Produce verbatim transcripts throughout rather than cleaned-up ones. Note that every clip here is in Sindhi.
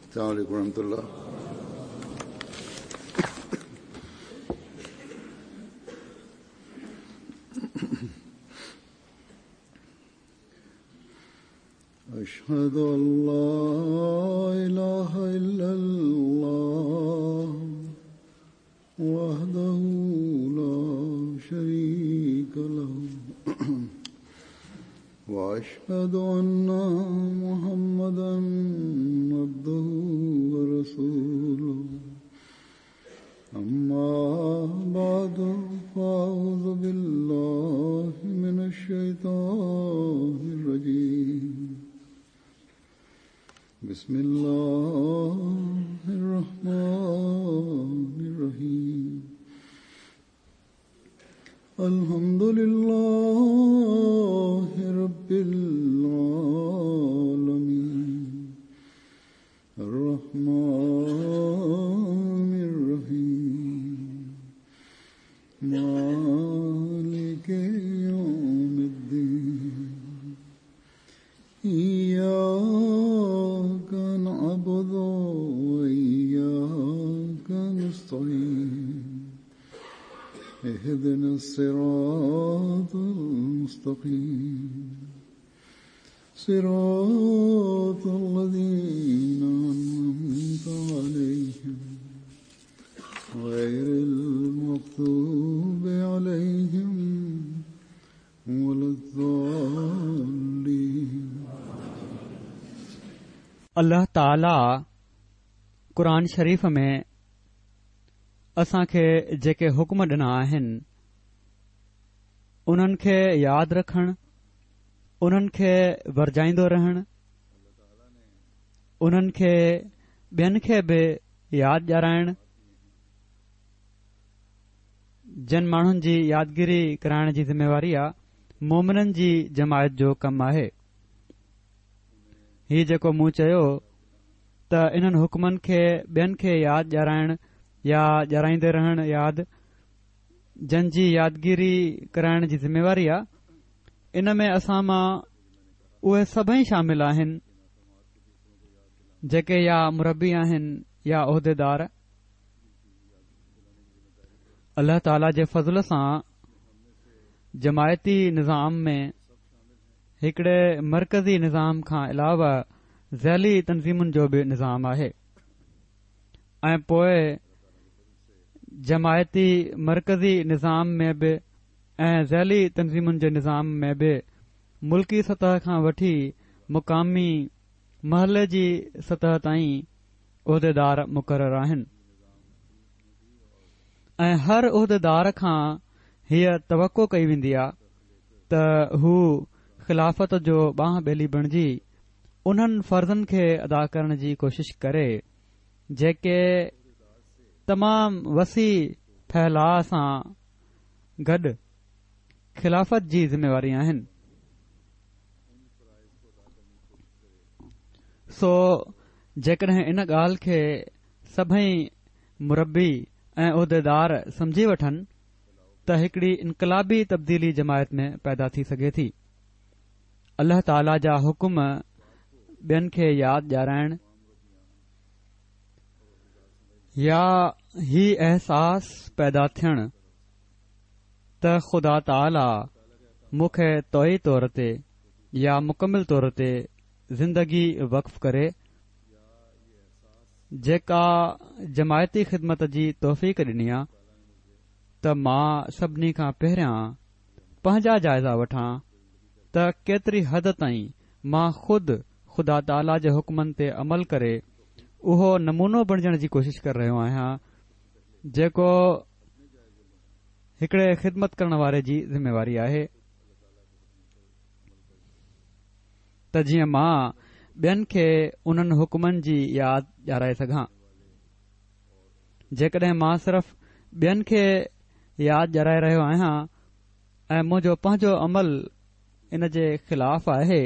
السلام عليكم ورحمة الله. أشهد أن لا إله إلا الله وحده لا شريك له وأشهد أن محمدا عبده ورسوله. أما بعد فأعوذ بالله من الشيطان الرجيم. بسم الله الرحمن الرحيم. الحمد لله رب العالمين الرحمن الرحيم مالك يوم الدين إياك نعبد وإياك نستعين اهدنا الصراط المستقيم صراط الذين أنعمت عليهم غير المغضوب عليهم ولا الضالين. الله تعاليٰ قرآن شريف ۾ اسان کي جيڪي حڪم ڏنا آهن انهن کي ياد رکڻ، انهن کي ورجائيندو رهڻ، انهن کي ٻين کي به ياد ڏيارائڻ، جن ماڻهن جي يادگيري ڪرائڻ جي ذميواري آ مومنن جي جماعت جو ڪم آهي. هي جيڪو مون چيو ته انهن حڪمن کي ٻين کي ياد ڏيارائڻ يا ڏيارائيندي رهڻ ياد جن جي يادگيري ڪرائڻ جي ذميواري آ، ان ۾ اسان مان اهي سڀئي شامل آهن جيڪي يا مربي آهن يا عهديدار. الله تعاليٰ جي فضل سان جماعتي نظام ۾ هڪڙي مرڪزي نظام کان علاوه ذيلي تنظيمن جو به نظام آهي ۽ پوءِ جماعتي مرڪزي نظام ۾ به ۽ ذيلي تنظيمن جي نظام ۾ به ملڪي سطح کان وٺي مقامي محلي جي سطح تائين عهديدار مقرر آهن ۽ هر عهديدار کان هيءَ توقع ڪئي ويندي آهي ته هو خلافت جو ٻانهن ٻيلي بڻجي انهن فرضن کي ادا ڪرڻ جي ڪوشش ڪري جيڪي تمام وسيع ڦهلاءُ سان گڏ خلافت جي ذميواري آهن. سو جيڪڏهن ان ڳالهه کي سڀئي مربي ۽ عهديدار سمجهي وٺن ته هڪڙي انقلابي تبديلي جماعت ۾ پيدا ٿي سگهي ٿي. الله تعاليٰ جا حڪم ٻين کي ياد ڏيارائڻ يا هي احساس پيدا ٿيڻ ته خدا تعاليٰ مون کي طوعي طور تي يا مڪمل طور تي زندگي وقف ڪري جيڪا جماعتي خدمت جي توفيق ڏني آ ته مان سڀني کان پهريان پنهنجا جائزا وٺان ته ڪيتري حد تائين مان خود خدا تعاليٰ جي حڪمن تي عمل ڪري اهو نمونو بڻجڻ جي ڪوشش ڪري رهيو آهيان جيڪو هڪڙي خدمت ڪرڻ واري جي ذميواري آهي، ته جيئن مان ٻين کي انهن حڪمن جي ياد ڏيارائي سگهان. جيڪڏهن مان صرف ٻين کي ياد ڏيارائي رهيو آهيان ۽ منهنجو پنهنجو عمل ان جي خلاف آهي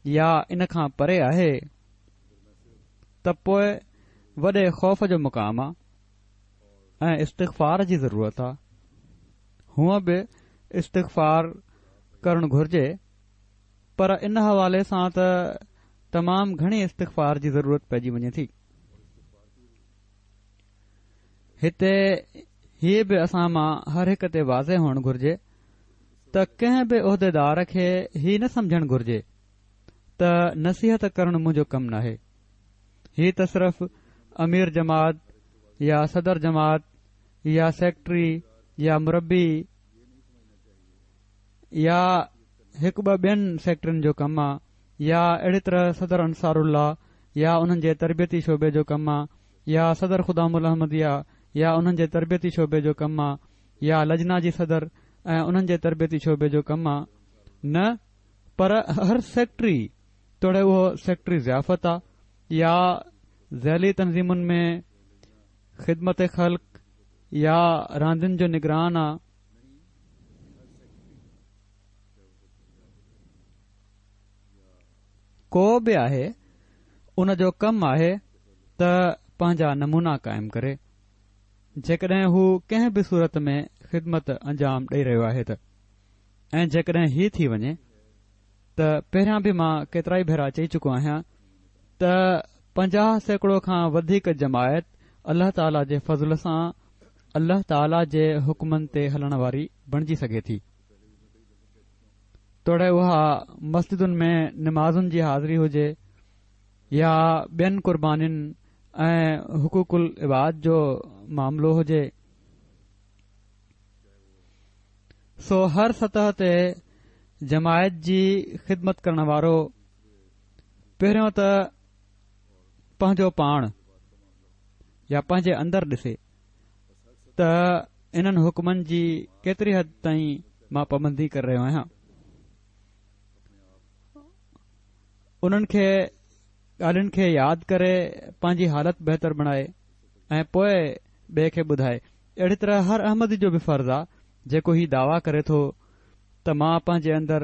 يا ان کان پري آهي ته پوءِ وڏي خوف جو مقام آ ۽ استغفار جي ضرورت آ. هونءَ به استغفار ڪرڻ گهرجي، پر ان حوالي سان ته تمام گهڻي استغفار جي ضرورت پئجي وڃي ٿي. هتي هيء به اسان مان هر هڪ تي واضح هئڻ گهرجي ته ڪنهن به عهديدار کي هي نه سمجهڻ گهرجي ته نصيحت ڪرڻ منهنجو ڪم ناهي، هي ته صرف امير جماعت يا صدر جماعت يا سيڪريٽري يا مربي يا هڪ ٻه ٻين سيڪريٽرين جو ڪم آ يا اهڙي طرح صدر انصار الله يا انهن جي تربيتي شعبي جو ڪم آ يا صدر خدام الاحمديه يا انهن جي تربيتي شعبي جو ڪم آ يا لجنا جي صدر ۽ انهن جي تربيتي شعبي جو ڪم آ. نه، پر هر سيڪريٽري توڙي اهو سيڪريٽري ضيافت آ يا ذيلي تنظيمن ۾ خدمت خلق يا راندين جو نگران آ، ڪو به آهي، ان جو ڪم آهي ته پنهنجا نمونا قائم ڪري، جيڪڏهن هو ڪنهن به صورت ۾ خدمت انجام ڏئي رهيو آهي ته. ۽ جيڪڏهن هي ٿي وڃي ته پهريان به مان ڪيترائي ڀيرا چئي چڪو آهيان ته پنجاهه سيڪڙو کان وڌيڪ جماعت الله تعاليٰ جي فضل سان الله تعاليٰ جي حڪمن تي هلڻ واري بڻجي سگهي ٿي، توڙي اها مسجدن ۾ نمازن جي حاضري هجي يا ٻين قربانين ۽ حقوق العباد جو معاملو هجي. سو هر سطح تي جماعت جي خدمت ڪرڻ وارو پهريون ته پنهنجو پاڻ يا پنهنجي اندر ڏسي ته انهن حڪمن جي ڪيتري حد تائين مان پابندي ڪري رهيو آهيان. انهن کي ڳالهين کي ياد ڪري پنهنجي حالت بهتر بڻائي ۽ پوء ٻئي کي ٻڌائي. اهڙي طرح هر احمدي جو به فرض آ جيڪو هي دعويٰ ڪري ٿو ته مان پنهنجي اندر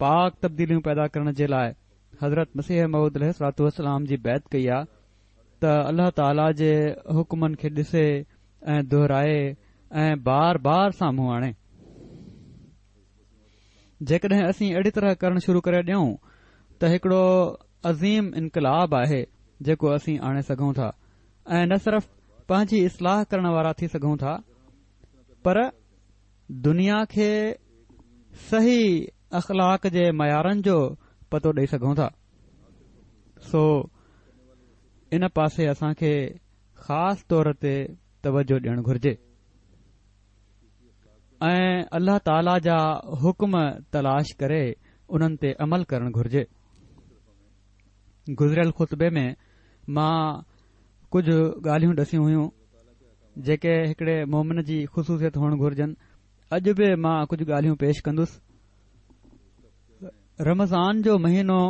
پاڪ تبديليون پيدا ڪرڻ جي لاء حضرت مسيح موعود عليه الصلوة والسلام جي بيعت ڪئي آ ته الله تعاليٰ جي حڪمن کي ڏسي ۽ دهرائي ۽ بار بار سامهون آڻي. جيڪڏهن اسين اهڙي طرح ڪرڻ شروع ڪري ڏيون ته هڪڙو عظيم انقلاب آهي جيڪو اسين آڻي سگهون ٿا ۽ نه صرف پنهنجي اصلاح ڪرڻ وارا ٿي سگهون ٿا پر دنيا کي صحيح اخلاق جي معيارن جو پتو ڏئي سگهون ٿا. سو ان پاسي اسان کي خاص طور تي توجه ڏيڻ گهرجي ۽ الله تعاليٰ جا حڪم تلاش ڪري انهن تي عمل ڪرڻ گهرجي. گذريل خطبي ۾ مان ڪجهه ڳالهيون ڏسيون هيون جيڪي هڪڙي مومن جي خصوصيت هئڻ گهرجن. اڄ به مان ڪجهه ڳالهيون پيش ڪندس. رمضان جو مهينو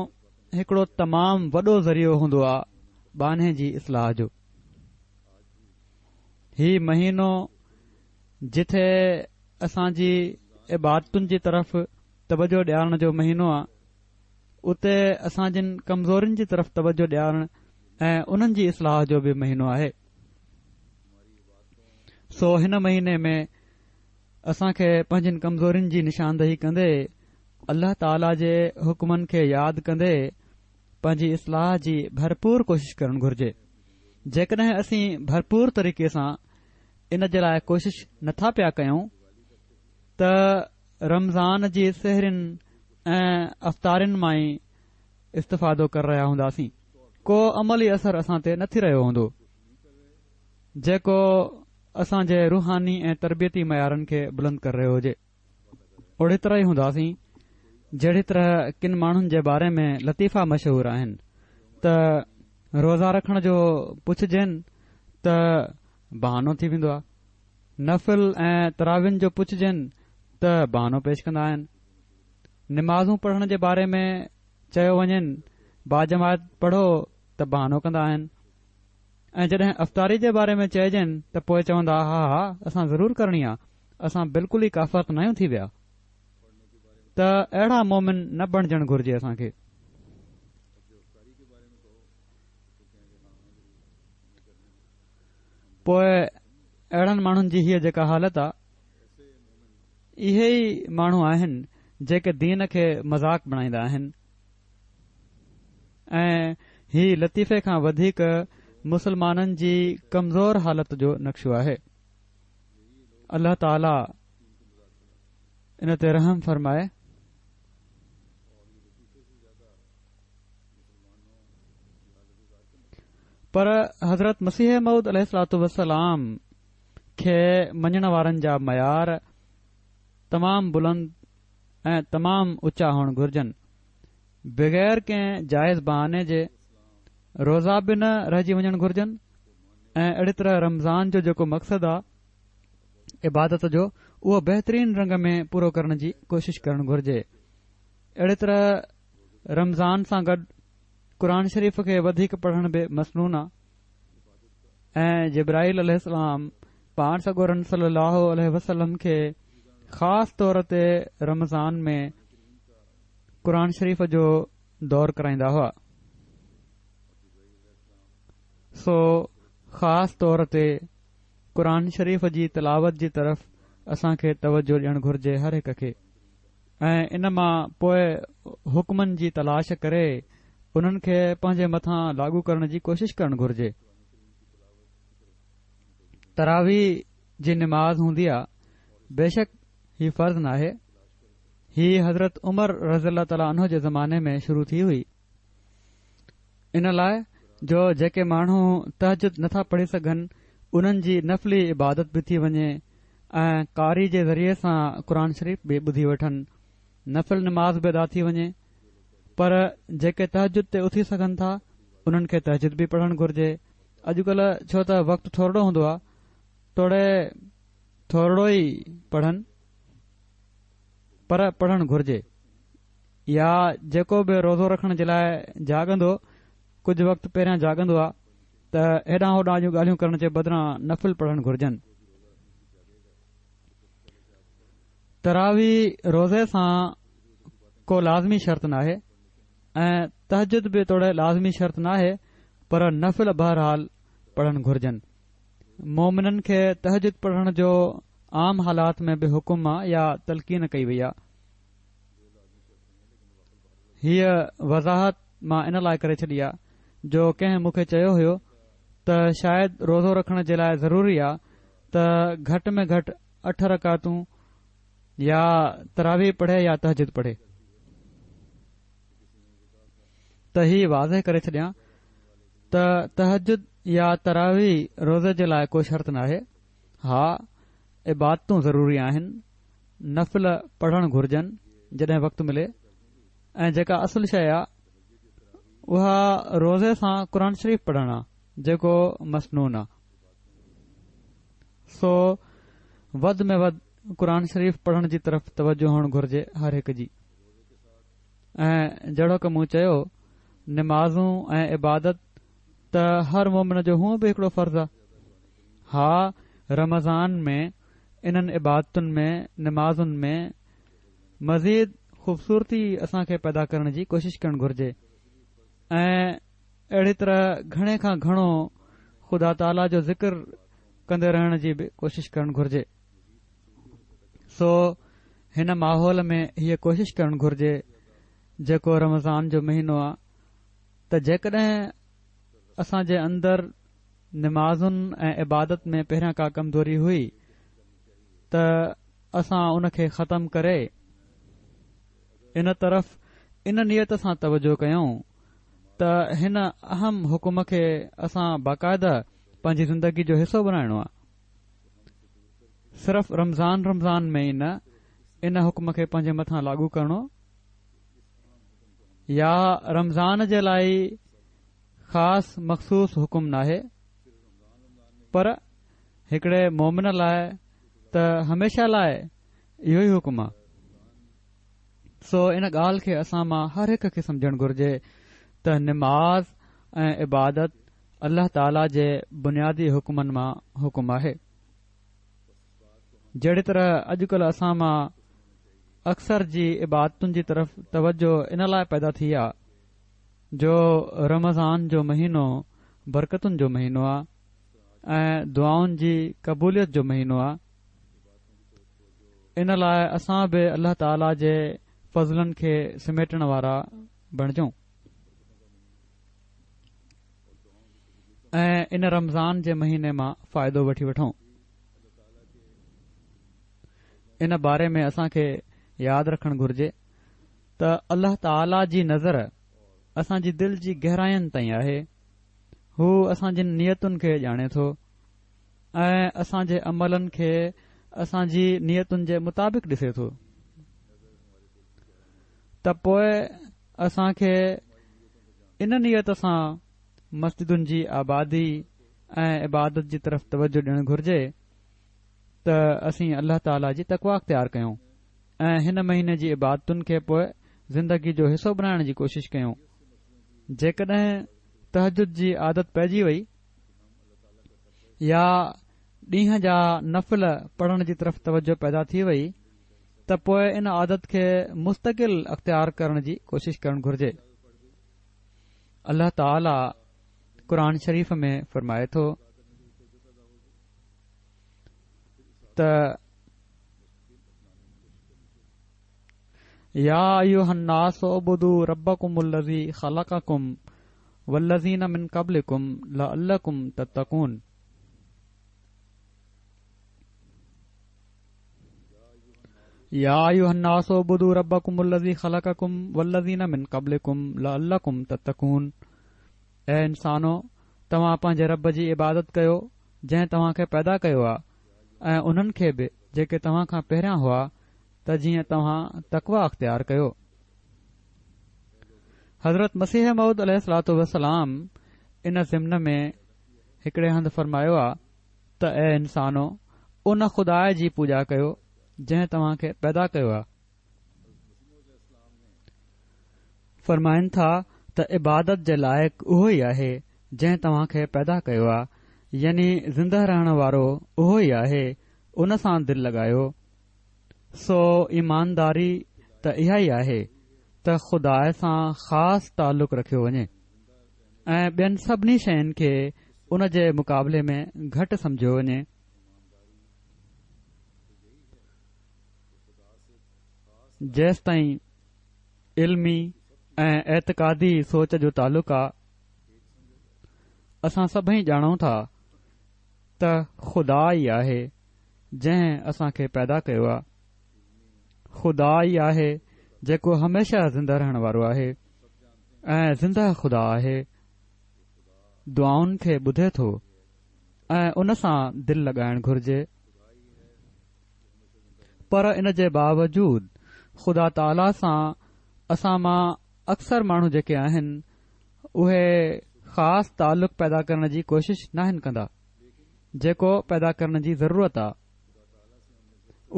هڪڙو تمام وڏو ذريعو هوندو آ ٻانهي جي اصلاح جو. هي مهينو جٿي اسان جي عبادتن جي طرف توجه ڏيارڻ جو مهينو آ، اتي اسان جن ڪمزورين جي طرف توجه ڏيارڻ ۽ انهن جي اصلاح جو به مهينو آهي. سو هن مهيني ۾ اسان کي پنهنجين ڪمزورين جي نشاندهي ڪندي الله تعاليٰ جي حڪمن کي ياد ڪندي پنهنجي اصلاح جي ڀرپور ڪوشش ڪرڻ گهرجي. جيڪڏهن اسين ڀرپور طريقي سان ان جي لاء ڪوشش نٿا پيا ڪيون ته رمضان جي سحرين ۽ افطارين مان ئي استفادو ڪري رهيا هونداسين، ڪو عملي اثر اسان تي نه ٿي رهيو هوندو جيڪو اسان جي روحاني ۽ تربيتي معيارن کي بلند ڪري رهيو هجي. اهڙي طرح ئي هونداسين جهڙي طرح ڪن ماڻهن جي باري ۾ لطيفا مشهور آهن ته روزا رکڻ جو پڇجين ته بهانو ٿي ويندو آهي، نفل ۽ تراوين جو پڇجين ته بهانو پيش ڪندا آهن، نمازون پڙهڻ جي باري ۾ چيو وڃين باجماعت پڙهو ته بهانو ڪندا آهن، ۽ جڏهن افطاري جي باري ۾ چئجين ته پوء چوندا ها ها اسان ضرور ڪرڻي آ، اسان بلڪل ئي ڪافر ته ناهيون ٿي ويا. ته اهڙا مومن نه بڻجڻ گهرجي اسان کي. پوء اهڙن ماڻهن جي هيء جيڪا حالت آ، اهي ئي ماڻهو آهن جيڪي دين کي مذاق بڻائيندا آهن ۽ هي لطيفي کان وڌيڪ مسلمانن جي ڪمزور حالت جو نقشو آهي. الله تعاليٰ ان تي رحم فرمائي. پر حضرت مسيح موعود عليه الصلوة والسلام کي مڃڻ وارن جا معيار تمام بلند ۽ تمام اوچا هئڻ گهرجن. بغير ڪنهن جائز بهاني جي روزا به نه رهجي وڃڻ گهرجن ۽ اهڙي طرح رمضان جو جيڪو مقصد آ عبادت جو اهو بهترين رنگ ۾ پورو ڪرڻ جي ڪوشش ڪرڻ گهرجي. اهڙي طرح رمضان سان گڏ قرآن شريف کي وڌيڪ پڙهڻ به مسنون آ ۽ جبرائيل عليه السلام پاڻ سڳورن صلي الله عليه وسلم کي خاص طور تي رمضان ۾ قرآن شريف جو دور ڪرائيندا هئا. سو خاص طور تي قرآن شريف جي تلاوت جي طرف اسان کي توجه ڏيڻ گهرجي هر هڪ کي ۽ ان مان پوء حڪمن جي تلاش ڪري انهن کي پنهنجي مٿان لاڳو ڪرڻ جي ڪوشش ڪرڻ گهرجي. تراويح جي نماز هوندي آ، بيشڪ هي فرض ناهي. هي حضرت عمر رضي الله تعالٰي عنه جي زماني ۾ شروع ٿي هئي، ان لاء جو جيڪي ماڻهو تهجد نٿا پڙهي سگهن انهن جي نفلي عبادت به ٿي وڃي ۽ قاري جي ذريعي سان قرآن شريف به ٻڌي وٺن، نفل نماز به ادا ٿي وڃي. پر جيڪي تهجد تي اٿي سگهن ٿا انهن کي تهجد به پڙهڻ گهرجي. اڄڪلهه ڇو ته وقت ٿورڙو هوندو آهي، توڙي ٿورڙو ئي پڙهن پر پڙهڻ گهرجي. يا جيڪو به روزو رکڻ جي لاء جاڳندو ڪجهه وقت پهريان جاڳندو آهي ته هيڏانهن هوڏانهن جون ڳالهيون ڪرڻ جي بدران نفل پڙهڻ گهرجن. تراويح روزي سان ڪو لازمي شرط ناهي ۽ تهجد به توڙي لازمي شرط ناهي، پر نفل بهرحال پڙهڻ گهرجن. مومنن کي تهجد پڙهڻ جو عام حالات ۾ به حڪم آ يا تلقين ڪئي وئي آ. هيء وضاحت مان ان لاء ڪري ڇڏي آ جو ڪنهن مون کي چيو هيو ته شايد روزو رکڻ جي لاء ضروري آ ته گهٽ ۾ گهٽ اٺ رڪعتون يا تراويح پڙهي يا تهجد پڙهي. ته هي واضح ڪري ڇڏيان ته تهجد يا تراويح روزي جي لاء ڪو شرط ناهي. ها، عبادتون ضروري آهن، نفل پڙهڻ گهرجن جڏهن وقت ملي، ۽ جيڪا اصل شيء آ اها روزي سان قرآن شريف پڙهڻ آ جيڪو مسنون آ. سو وڌ ۾ وڌ قرآن شريف پڙهڻ جي طرف توجه هئڻ گهرجي هر هڪ جي. ۽ جهڙوڪ مون چيو نمازون ۽ عبادت ته هر مومن جو هونء به هڪڙو فرض آ. ها، رمضان ۾ انهن عبادتن ۾ نمازن ۾ مزيد خوبصورتي اسان کي پيدا ڪرڻ جي ڪوشش ڪرڻ گهرجي ۽ اهڙي طرح گهڻي کان گهڻو خدا تعاليٰ جو ذڪر ڪندي رهڻ جي به ڪوشش ڪرڻ گهرجي. سو هن ماحول ۾ هيء ڪوشش ڪرڻ گهرجي جيڪو رمضان جو مهينو آ ته جيڪڏهن اسان جي اندر نمازن ۽ عبادت ۾ پهريان ڪا ڪمزوري هئي ته اسان ان کي ختم ڪري ان طرف ان نيت سان توجه ڪيون ته هن اهم حڪم کي اسان باقاعده پنهنجي زندگي جو حصو بنائڻو آ. صرف رمضان رمضان ۾ ئي نه ان حڪم کي پنهنجي مٿان لاڳو ڪرڻو يا رمضان جي لاء خاص مخصوص حڪم ناهي، پر هڪڙي مومن لاء ته هميشه لاء اهو ئي حڪم آ. سو ان ڳالهه کي اسان مان هر هڪ کي سمجهڻ گهرجي ته نماز ۽ عبادت الله تعاليٰ جي بنيادي حڪمن مان حڪم آهي. جهڙي طرح اڄڪلهه اسان مان اڪثر جي عبادتن جي طرف توجه ان لاء پيدا ٿي آ جو رمضان جو مهينو برڪتن جو مهينو آ ۽ دعائن جي قبوليت جو مهينو آ. ان لاء اسان به الله تعاليٰ جي فضلن کي سميٽڻ وارا بڻجون. ۽ ان رمضان جي مهيني مان فائدو وٺي وٺون. ان باري ۾ اسان کي ياد رکڻ گهرجي ته الله تعاليٰ جي نظر اسان جي دل جي گهراين تائين آهي. هو اسان جي نيتن کي ڄاڻي ٿو ۽ اسان جي عملن کي اسان جي نيتن جي مطابق ڏسي ٿو. ته پوء اسان کي ان نيت سان مسجدن جي آبادي ۽ عبادت جي طرف توجه ڏيڻ گهرجي ته اسين الله تعاليٰ جي تقويٰ اختيار ڪيون ۽ هن مهيني جي عبادتن کي پوء زندگي جو حصو بڻائڻ جي ڪوشش ڪيون. جيڪڏهن تهجد جي عادت پئجي وئي يا ڏينهن جا نفل پڙهڻ جي طرف توجه پيدا ٿي وئي ته پوء ان عادت کي مستقل اختيار ڪرڻ جي ڪوشش ڪرڻ گهرجي. الله تعاليٰ قرآن شريف ۾ فرمائي ٿو ته يا ايها الناس اعبدوا ربڪم الذي خلقڪم والذين من قبلڪم لعلڪم تتقون. يا ايها الناس اعبدوا ربڪم الذي خلقڪم والذين من قبلڪم لعلڪم تتقون. اي انسانو، توهان پنهنجي رب جي عبادت ڪيو جنهن توهان کي پيدا ڪيو آهي ۽ انهن کي به جيڪي توهان کان پهريان هئا ته جيئن توهان تقويٰ اختيار ڪيو. حضرت مسيح موعود عليه الصلوة والسلام ان ضمن ۾ هڪڙي هنڌ فرمايو آ ته اي انسانو، ان خدا جي پوڄا ڪيو جنهن توهان کي پيدا ڪيو آ. فرمائن ٿا ته عبادت جي لائق اهو ئي آهي جنهن توهان کي پيدا ڪيو آ، يعني زنده رهڻ وارو اهو ئي آهي، ان سان دل لڳايو. سو ايمانداري ته اها ئي آهي ته خدا سان خاص تعلق رکيو وڃي ۽ ٻين سڀني شين کي ان جي مقابلي ۾ گهٽ سمجهيو وڃي. جيستائين علمي ۽ اعتقادي سوچ جو تعلق آ، اسان سڀئي ڄاڻون ٿا ته خدا ئي آهي جنهن اسان کي پيدا ڪيو آ. خدا ئي آهي جيڪو هميشه زنده رهڻ وارو آهي ۽ زنده خدا آهي، دعائن کي ٻڌي ٿو ۽ ان سان دل لڳائڻ گهرجي. پر ان جي باوجود خدا تعاليٰ سان اسان مان اڪثر ماڻهو جيڪي آهن اهي خاص تعلق پيدا ڪرڻ جي ڪوشش ناهن ڪندا، جيڪو پيدا ڪرڻ جي ضرورت آ.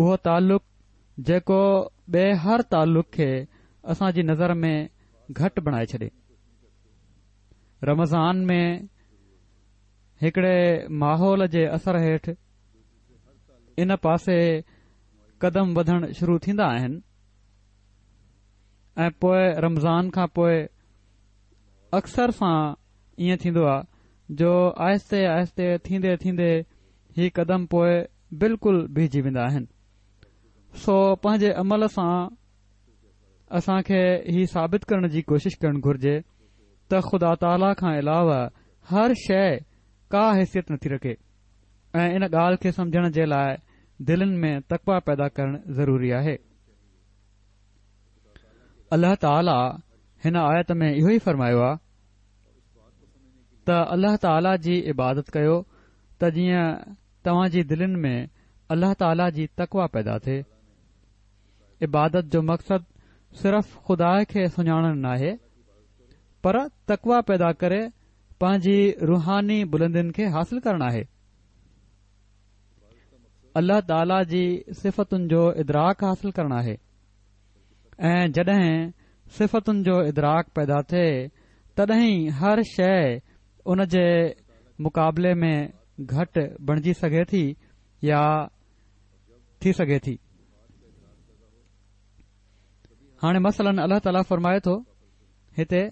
اهو تعلق جيڪو ٻئي هر تعلق کي اسان جي نظر ۾ گهٽ بڻائي ڇڏي. رمضان ۾ هڪڙي ماحول جي اثر هيٺ ان پاسي قدم وڌڻ شروع ٿيندا آهن ۽ پوء رمضان کان پوء اڪثر سان ائين ٿيندو آ جو آهستي آهستي ٿيندي ٿيندي هي قدم پوء بلڪل بيهجي ويندا آهن. سو پنهنجي عمل سان اسان کي هي ثابت ڪرڻ جي ڪوشش ڪرڻ گهرجي ته خدا تعاليٰ کان علاوه هر شيء ڪا حيثيت نٿي رکي ۽ ان ڳالهه کي سمجهڻ جي لاء دلين ۾ تقويٰ پيدا ڪرڻ ضروري آهي. الله تعاليٰ هن آيت ۾ اهو ئي فرمايو آهي ته الله تعاليٰ جي عبادت ڪيو ته جيئن توهان جي دلين ۾ الله تعاليٰ جي تقويٰ پيدا ٿئي. عبادت جو مقصد صرف خدا کي سڃاڻڻ ناهي پر تقويٰ پيدا ڪري پنهنجي روحاني بلندين کي حاصل ڪرڻ آهي. الله تعاليٰ جي صفتن جو ادراڪ حاصل ڪرڻ آهي ۽ جڏهن صفتن جو ادراڪ پيدا ٿئي تڏهن ئي هر شيء ان جي مقابلي ۾ گهٽ بڻجي سگهي ٿي يا ٿي سگهي ٿي. هاڻي مثلاً الله تعاليٰ فرمائي ٿو هتي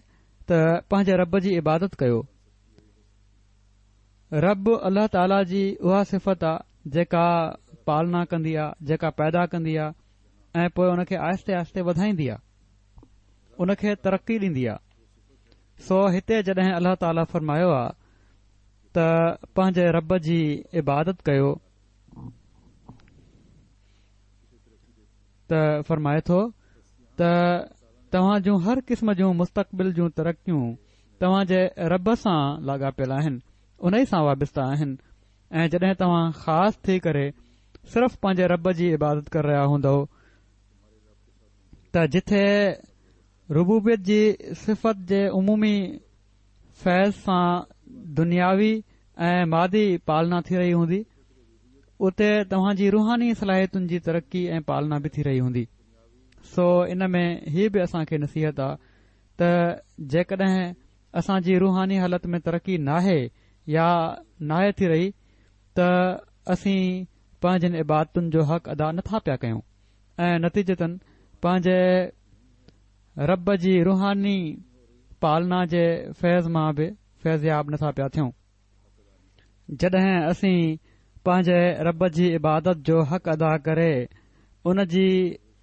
ته پنهنجي رب جي عبادت ڪيو. رب الله تعاليٰ جي اها صفت آ جيڪا پالنا ڪندي آ، جيڪا پيدا ڪندي آ ۽ پوء ان کي آهستي آهستي وڌائيندي آ، ان کي ترقي ڏيندي آ. سو هتي جڏهن الله تعاليٰ فرمايو آ ته پنهنجي رب جي عبادت ڪيو ته فرمائي ٿو ته توهان جون هر قسم جون مستقبل جون ترقيون توهان جي رب سان لاڳاپيل آهن، ان ئي سان وابسته آهن ۽ جڏهن توهان خاص ٿي ڪري صرف پنهنجي رب جي عبادت ڪري رهيا هوندؤ ته جٿي ربوبيت جي صفت جي عمومي فيض سان دنياوي ۽ مادي پالنا ٿي رهي هوندي، اتي توهان جي روحاني صلاحيتن جي ترقي ۽ پالنا به ٿي رهي هوندي. سو ان ۾ هي به اسان کي نصيحت آ ته جيڪڏهن اسان جي روحاني حالت ۾ ترقي ناهي يا ناهي ٿي رهي ته اسين پنهنجين عبادتن جو حق ادا نٿا پيا ڪيون ۽ نتيجتن پنهنجي رب جي روحاني پالنا جي فيض مان به فيضياب نٿا پيا ٿيون. جڏهن اسين پنهنجي رب جي عبادت جو حق ادا ڪري ان جي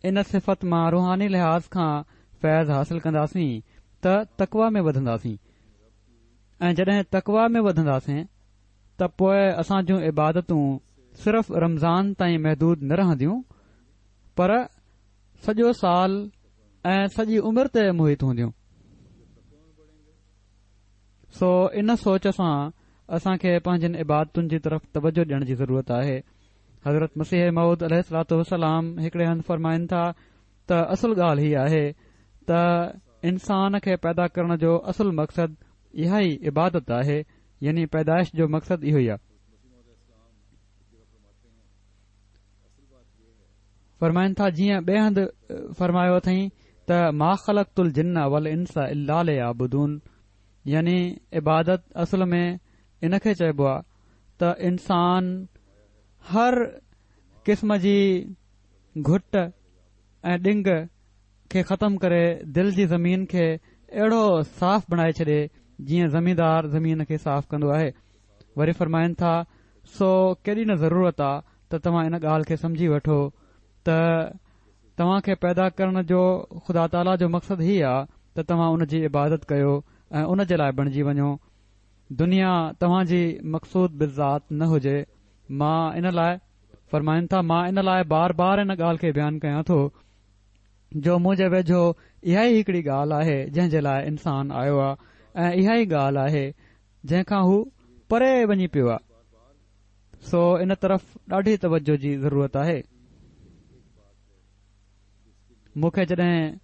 ان صفت مان روحاني لحاظ کان فيض حاصل ڪنداسين ته تقويٰ ۾ وڌنداسين ۽ جڏهن تقويٰ ۾ وڌنداسين ته پوء اسان جون عبادتون صرف رمضان تائين محدود نه رهنديون پر سڄو سال ۽ سڄي عمر تي محيط هونديون. سو ان سوچ سان اسان کي پنهنجين عبادتن جي طرف توجه ڏيڻ جي ضرورت آهي. حضرت مسيح موعود عليه الصلوة والسلام هڪڙي هنڌ فرمائن ٿا ته اصل ڳالهه هي آهي ته انسان کي پيدا ڪرڻ جو اصل مقصد اها ئي عبادت آهي، يعني پيدائش جو مقصد اهو ئي آهي. فرمائن ٿا جيئن ٻئي هنڌ فرمايو اٿئين ته ما خلقت الجن والانس الا ليعبدون، يعني عبادت اصل ۾ ان کي چئبو آهي ته انسان هر قسم جي گهٽ ۽ ڏنگ کي ختم ڪري دل جي زمين کي اهڙو صاف بڻائي ڇڏي جيئن زميندار زمين کي صاف ڪندو آهي. وري فرمائن ٿا سو ڪيڏي نه ضرورت آ ته توهان ان ڳالهه کي سمجهي وٺو ته توهان کي پيدا ڪرڻ جو خدا تعاليٰ جو مقصد هي آ ته توهان ان جي عبادت ڪيو ۽ ان جي لاء بڻجي وڃو. دنيا توهان جي مقصود بالذات نه هجي. مان ان لاء فرمائن ٿا مان ان لاء بار بار ان ڳالهه کي بيان ڪيان ٿو جو منهنجي ويجهو اها ئي هڪڙي ڳالهه آهي جنهن جي لاء انسان آيو آ ۽ اها ئي ڳالهه آهي جنهن کان هو پري وڃي پيو آ. سو ان طرف ڏاڍي توجه جي ضرورت آهي. مون کي جڏهن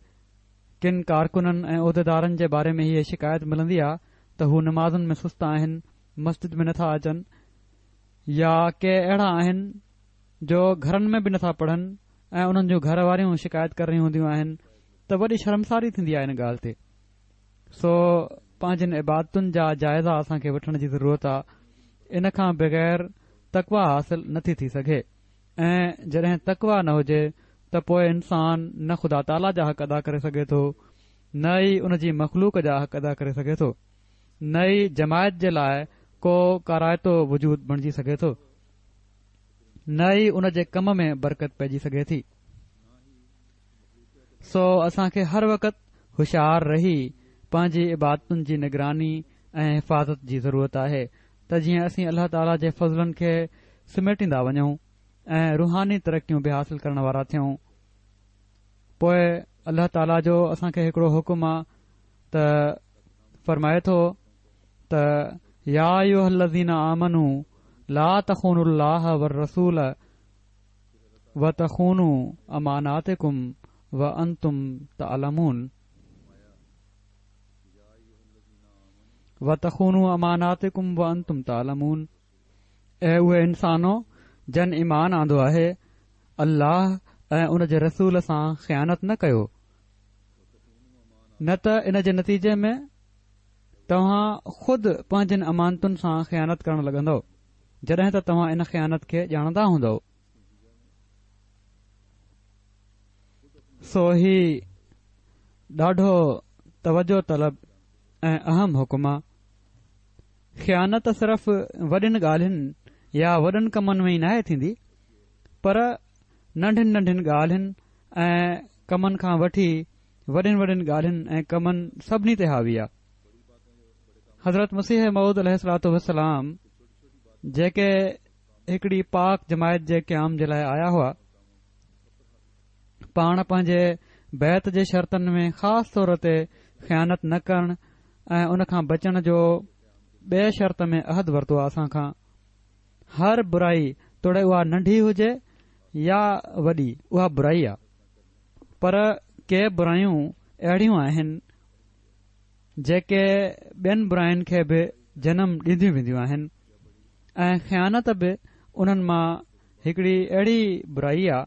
ڪن ڪارڪنن ۽ عهديدارن جي باري ۾ هيء شڪايت ملندي آ ته هو نمازن ۾ سست آهن، مسجد ۾ نٿا اچن يا ڪي اهڙا آهن جو گهرن ۾ به نٿا پڙهن ۽ انهن جون گهر واريون شڪايت ڪري رهيون هونديون آهن ته وڏي شرمساري ٿيندي آهي ان ڳالهه تي. سو پنهنجين عبادتن جا جائزا اسان کي وٺڻ جي ضرورت آ. ان کان بغير تقويٰ حاصل نٿي ٿي سگهي ۽ جڏهن تقويٰ نه هجي ته پوء انسان نه خدا تعاليٰ جا حق ادا ڪري سگهي ٿو نه ئي ان جي مخلوق جا حق ادا ڪري سگهي ٿو نه ئي جماعت جي لاء ڪو ڪارائتو وجود بڻجي سگهي ٿو نه ئي ان جي ڪم ۾ برڪت پئجي سگهي ٿي. سو اسان کي هر وقت هوشيار رهي پنهنجي عبادتن جي نگراني ۽ حفاظت جي ضرورت آهي ته جيئن اسين الله تعاليٰ جي فضلن کي سميٽيندا وڃون ۽ روحاني ترقيون به حاصل ڪرڻ وارا ٿيون. پوء الله تعاليٰ جو اسان کي هڪڙو حڪم آ ته فرمائي ٿو ته يا ايها الذين آمنوا لا تخونوا الله والرسول وتخونوا اماناتڪم وانتم تعلمون وتخونوا اماناتڪم وانتم تعلمون. اي اهي انسانو جن ايمان آندو آهي، الله ۽ ان جي رسول سان خيانت نه ڪيو، نه ته ان جي نتيجي ۾ توهان خود پنهنجين امانتن سان خيانت ڪرڻ لڳندؤ، جڏهن ته توهان ان خيانت کي ڄاڻندا هوندؤ. سو هي ڏاڍو توجه طلب ۽ اهم حڪم آ. خيانت صرف وڏين ڳالهين يا وڏن ڪمن ۾ ئي ناهي ٿيندي، پر ننڍين ننڍين ڳالهين ۽ ڪمن کان وٺي وڏين وڏين ڳالهين ۽ ڪمن سڀني تي حاوي آ. حضرت مسيح موعود عليه الصلوة والسلام جيڪي هڪڙي پاڪ جماعت جي قيام جي لاء آيا هئا، پاڻ پنهنجي بيعت جي شرطن ۾ خاص طور تي خيانت نه ڪرڻ ۽ ان کان بچڻ جو ٻئي شرط ۾ عهد ورتو آهي اسان کان. هر برائي توڙي اها ننڍي هجي يا وڏي اها برائي آهي، پر ڪي برايون اهڙيون آهن جيڪي ٻين براين کي به جنم ڏينديون وينديون آهن ۽ خيانت به انهن مان هڪڙي اهڙي برائي آ.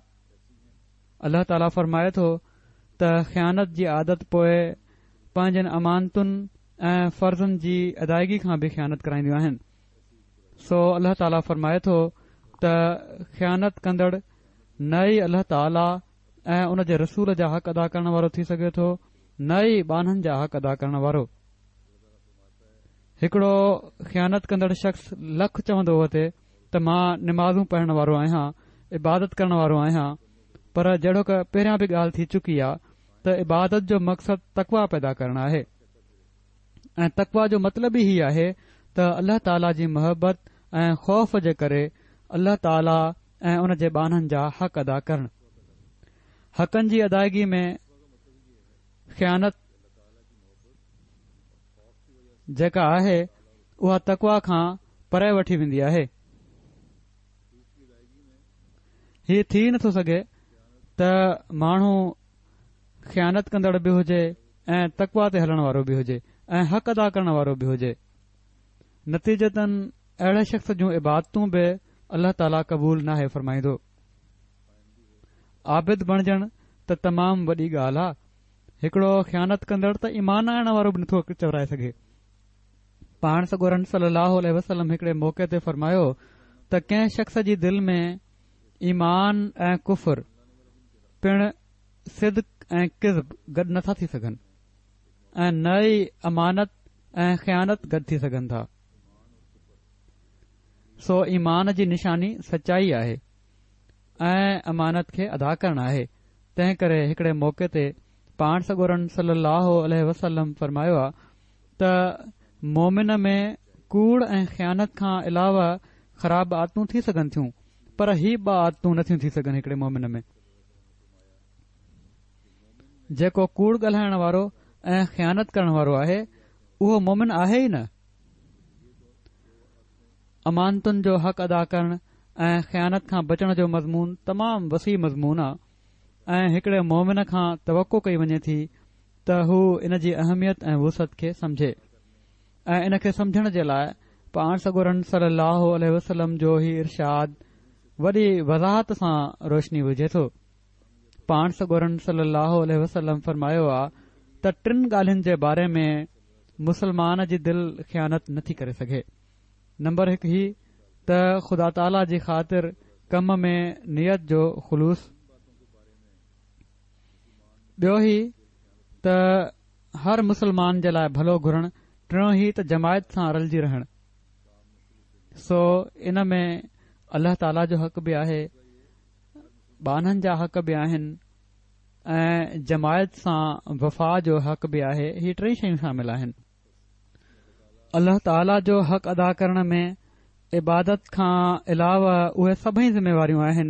الله تعاليٰ فرمائي ٿو ته خيانت جي عادت پوء پنهنجن امانتن ۽ فرضن جي ادائگي کان به خيانت ڪرائينديون آهن. سو الله تعاليٰ فرمائي ٿو ته خيانت ڪندڙ نه ئي الله تعاليٰ ۽ ان جي رسول جا حق ادا ڪرڻ وارو ٿي سگهي ٿو نه ئي ٻانهن جا حق ادا ڪرڻ وارو. هڪڙو خيانت ڪندڙ شخص لک چوندو وتي ته مان نمازون پڙهڻ وارو آهيان، عبادت ڪرڻ وارو آهيان، پر جهڙوڪ پهريان به ڳالهه ٿي چڪي آ ته عبادت جو مقصد تقويٰ پيدا ڪرڻ آهي ۽ تقويٰ جو مطلب ئي هي آهي ته الله تعاليٰ جي محبت ۽ خوف جي ڪري الله تعاليٰ ۽ ان جي ٻانهن جا حق ادا ڪرڻ. حقن جي ادائگي ۾ خيانت جيڪا آهي اها تقويٰ کان پري وٺي ويندي آهي. هي ٿي نٿو سگهي ته ماڻهو خيانت ڪندڙ به هجي ۽ تقويٰ تي هلڻ وارو به هجي ۽ حق ادا ڪرڻ وارو به هجي. نتيجتاً اهڙي شخص جون عبادتون به الله تعاليٰ قبول ناهي فرمائيندو. عابد بڻجڻ ته تمام وڏي ڳالهه آ. هڪڙو خيانت ڪندڙ ته ايمان آڻڻ وارو به نٿو چورائي سگهي. پاڻ سڳورن صلي الله عليه وسلم هڪڙي موقعي تي فرمايو ته ڪنهن شخص جي دل ۾ ايمان ۽ ڪفر پڻ صدق ۽ ڪذب گڏ نٿا ٿي سگهن ۽ نه ئي امانت ۽ خيانت گڏ ٿي سگهن ٿا. سو ايمان جي نشاني سچائي آهي ۽ امانت کي ادا ڪرڻ آهي. تنهن ڪري هڪڙي موقعي تي پاڻ سڳورن صلي الله عليه وسلم فرمايو آ ته مومن ۾ ڪوڙ ۽ خيانت کان علاوه خراب عادتون ٿي سگهن ٿيون، پر هي ٻه عادتون نٿيون ٿي سگهن هڪڙي مومن ۾. جيڪو ڪوڙ ڳالهائڻ وارو ۽ خيانت ڪرڻ وارو آهي اهو مومن آهي ئي نه. امانتن جو حق ادا ڪرڻ ۽ خيانت کان بچڻ جو مضمون تمام وسيع مضمون آ ۽ هڪڙي مومن کان توقع ڪئي وڃي ٿي ته هو ان جي اهميت ۽ وسعت کي سمجهي ۽ ان کي سمجهڻ جي لاء پاڻ سڳورن صلي الله عليه وسلم جو هي ارشاد وڏي وضاحت سان روشني وجهي ٿو. پاڻ سڳورن صلي الله عليه وسلم فرمايو آ ته ٽن ڳالهين جي باري ۾ مسلمان جي دل خيانت نٿي ڪري سگهي. نمبر هڪ هي ته خدا تعاليٰ جي خاطر ڪم ۾ نيت جو خلوص، ٻيو هي ته هر مسلمان جي لاء ڀلو گهرڻ، ٽيون هي ته جماعت سان رلجي رهڻ. سو ان ۾ الله تعاليٰ جو حق به آهي، ٻانهن جا حق به آهن ۽ جماعت سان وفا جو حق به آهي. هي ٽئي شيون شامل آهن. الله تعاليٰ جو حق ادا ڪرڻ ۾ عبادت کان علاوه اهي سڀئي ذميواريون آهن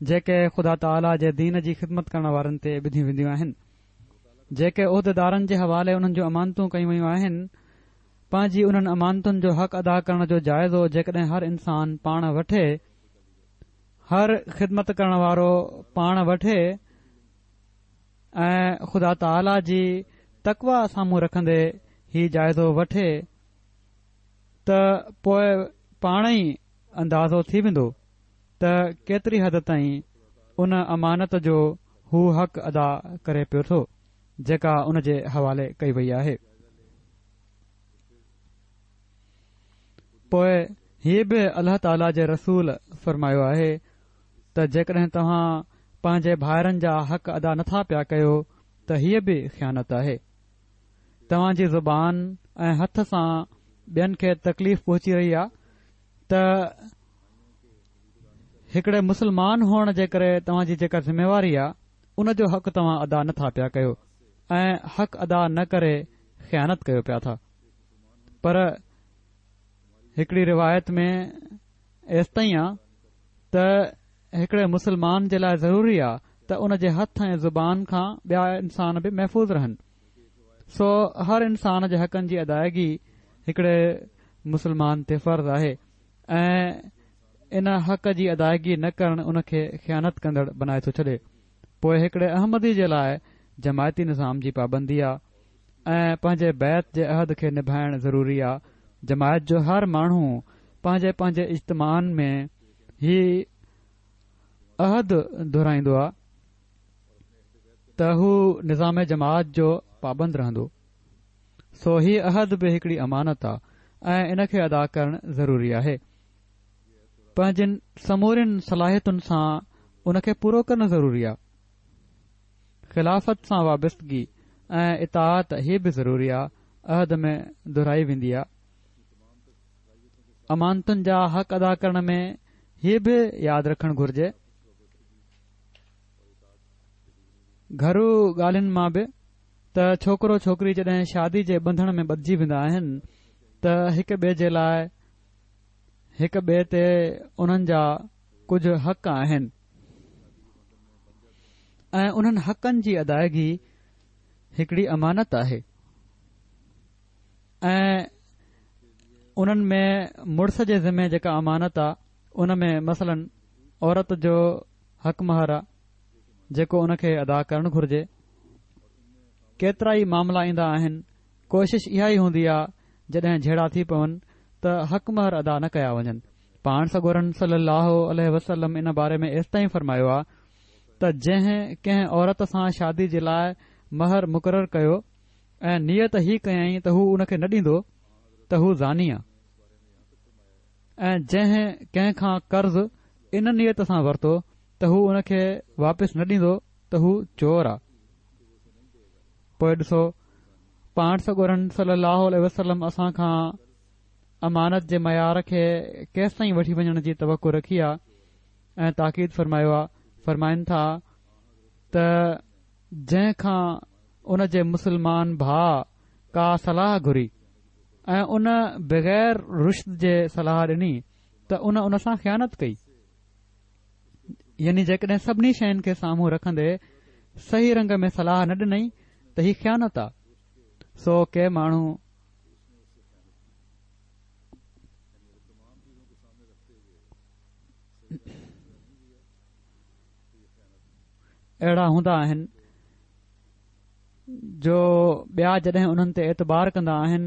جيڪي خدا تعاليٰ جي دين جي خدمت ڪرڻ وارن تي ٻڌيون وينديون آهن. جيڪي عهديدارن جي حوالي انهن جون امانتون ڪيون ويون آهن، پنهنجي انهن امانتن جو حق ادا ڪرڻ جو جائزو جيڪڏهن هر انسان پاڻ وٺي، هر خدمت ڪرڻ وارو پاڻ وٺي ۽ خدا تعاليٰ جي تقويٰ سامهون رکندي هي جائزو وٺي ته پوء پاڻ ئي اندازو ٿي ويندو ته ڪيتري حد تائين ان امانت جو هو حق ادا ڪري پيو ٿو جيڪا ان جي حوالي ڪئي وئي آهي. پوء هي به الله تعاليٰ جي رسول فرمايو آهي ته جيڪڏهن توهان پنهنجي ڀائرن جا حق ادا نٿا پيا ڪيو ته هيء به خيانت آهي. توهان جي زبان ۽ هٿ سان ٻين کي تڪليف پهچي رهي آهي ته هڪڙي مسلمان هئڻ جي ڪري توهان جي جيڪا ذميواري آهي ان جو حق توهان ادا نٿا پيا ڪيو ۽ حق ادا نه ڪري خيانت ڪيو پيا ٿا. پر هڪڙي روايت ۾ ايستائين آ ته هڪڙي مسلمان جي لاء ضروري آ ته ان جي هٿ ۽ زبان کان ٻيا انسان به محفوظ رهن. سو هر انسان جي حقن جي ادائگي هڪڙي مسلمان تي فرض آهي ۽ ان حق جي ادائگي نه ڪرڻ ان کي خيانت ڪندڙ بنائي ٿو ڇڏي. پوء هڪڙي احمدي جي لاء جماعتي نظام جي پابندي آ ۽ پنهنجي بيعت جي عهد کي نڀائڻ ضروري آ. جماعت جو هر ماڻهو پنهنجي پنهنجي اجتماعن ۾ هي عهد دهرائيندو آ ته هو نظام جماعت جو پابند رهندو. سو هي عهد به هڪڙي امانت آ ۽ ان کي ادا ڪرڻ ضروري آهي. پنهنجين سمورين صلاحيتن سان ان کي پورو ڪرڻ ضروري آ. خلافت سان وابستگي ۽ اطاعت هي به ضروري آ، عهد ۾ دهرائي ويندي آ. امانتن جا حق ادا ڪرڻ ۾ هي به ياد رکڻ گهرجي. گهرو ڳالهين مان به ته ڇوڪرو ڇوڪري جڏهن شادي جي ٻنڌڻ ۾ ٻڌجي ويندا آهن ته هڪ ٻئي جي لاء هڪ ٻئي تي انهن جا ڪجهه حق آهن ۽ انهن حقن جي ادائگي هڪڙي امانت آهي ۽ انهن ۾ مڙس جي ذمي جيڪا امانت آ ان ۾ مثلاً عورت جو حق مهر آ جيڪو ان کي ادا ڪرڻ گهرجي. ڪيترا ئي معاملا ايندا آهن، ڪوشش اها ئي هوندي آ جڏهن جهيڙا ٿي پون ته حق مهر ادا نه ڪيا وڃن. پاڻ سڳورن صلي الله عليه وسلم ان باري ۾ ايستائين فرمايو آ ته جنهن ڪنهن عورت سان شادي جي لاء مهر مقرر ڪيو ۽ نيت هي ڪيائين ته هو ان کي نه ڏيندو ته هو زاني آ ۽ جنهن ڪنهن کان قرض ان نيت سان ورتو ته هو ان کي واپس نه ڏيندو ته هو چور آ. پوء ڏسو پاڻ سڳورن صلي الله عليه وسلم اسان کان امانت جي معيار کي ڪيستائين وٺي وڃڻ جي توقع رکي آ ۽ تاڪيد فرمايو آ. فرمائن ٿا ته جنهن کان ان جي مسلمان ڀاء ڪا صلاح گهري ۽ ان بغير رشد جي صلاح ڏني ته ان ان سان خيانت ڪئي. يعني جيڪڏهن سڀني شين کي سامهون رکندي صحيح رنگ ۾ صلاح نه ڏنئي ته هي خيانت آ. سو ڪي ماڻهو اهڙا هوندا آهن جو ٻيا جڏهن انهن تي اعتبار ڪندا آهن،